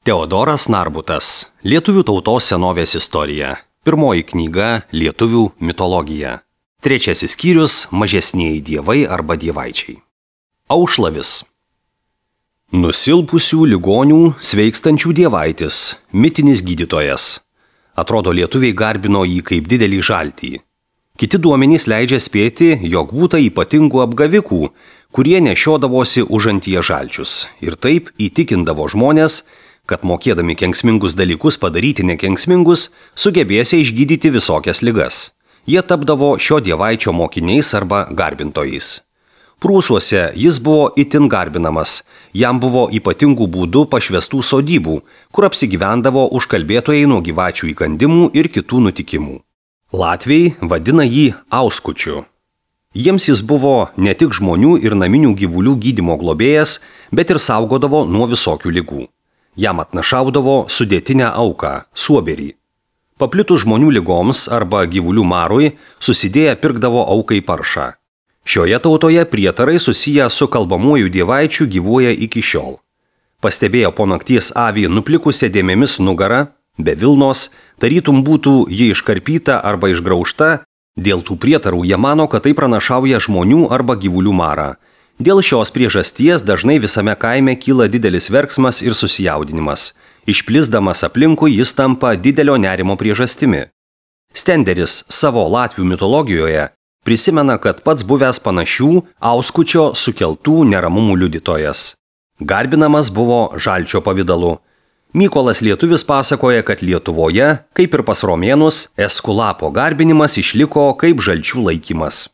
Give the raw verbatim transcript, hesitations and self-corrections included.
Teodoras Narbutas. Lietuvių tautos senovės istorija. Pirmoji knyga Lietuvių mitologija. Trečiasis skyrius Mažesnieji dievai arba dievaičiai. Aušlavis. Nusilpusių ligonių sveikstančių dievaitis, mitinis gydytojas. Atrodo, lietuviai garbino jį kaip didelį žaltį. Kiti duomenys leidžia spėti, jog būta ypatingų apgavikų, kurie nešiodavosi užantyje žalčius ir taip įtikindavo žmonės, kad mokėdami kenksmingus dalykus padaryti nekenksmingus, sugebėsia išgydyti visokias ligas. Jie tapdavo šio dievaičio mokiniais arba garbintojais. Prūsuose jis buvo itin garbinamas, jam buvo ypatingų būdų pašvestų sodybų, kur apsigyvendavo užkalbėtojai nuo gyvačių įkandimų ir kitų nutikimų. Latviai vadina jį Auskučiu. Jiems jis buvo ne tik žmonių ir naminių gyvulių gydymo globėjas, bet ir saugodavo nuo visokių ligų. Jam atnašaudavo sudėtinę auką, suoberį. Paplitus žmonių ligoms arba gyvulių marui, susidėję pirkdavo aukai paršą. Šioje tautoje prietarai susiję su kalbamuoju dievaičiu gyvuoja iki šiol. Pastebėjo po nakties avį nuplikusią dėmėmis nugarą, be vilnos, tarytum būtų ji iškarpyta arba išgraužta, dėl tų prietarų jie mano, kad tai pranašauja žmonių arba gyvulių marą. Dėl šios priežasties dažnai visame kaime kyla didelis verksmas ir susijaudinimas. Išplisdamas aplinkui jis tampa didelio nerimo priežastimi. Stenderis savo latvių mitologijoje prisimena, kad pats buvęs panašių Auskučio sukeltų neramumų liudytojas. Garbinamas buvo žalčio pavidalu. Mykolas Lietuvis pasakoja, kad Lietuvoje, kaip ir pas romėnus, eskulapo garbinimas išliko kaip žalčių laikymas.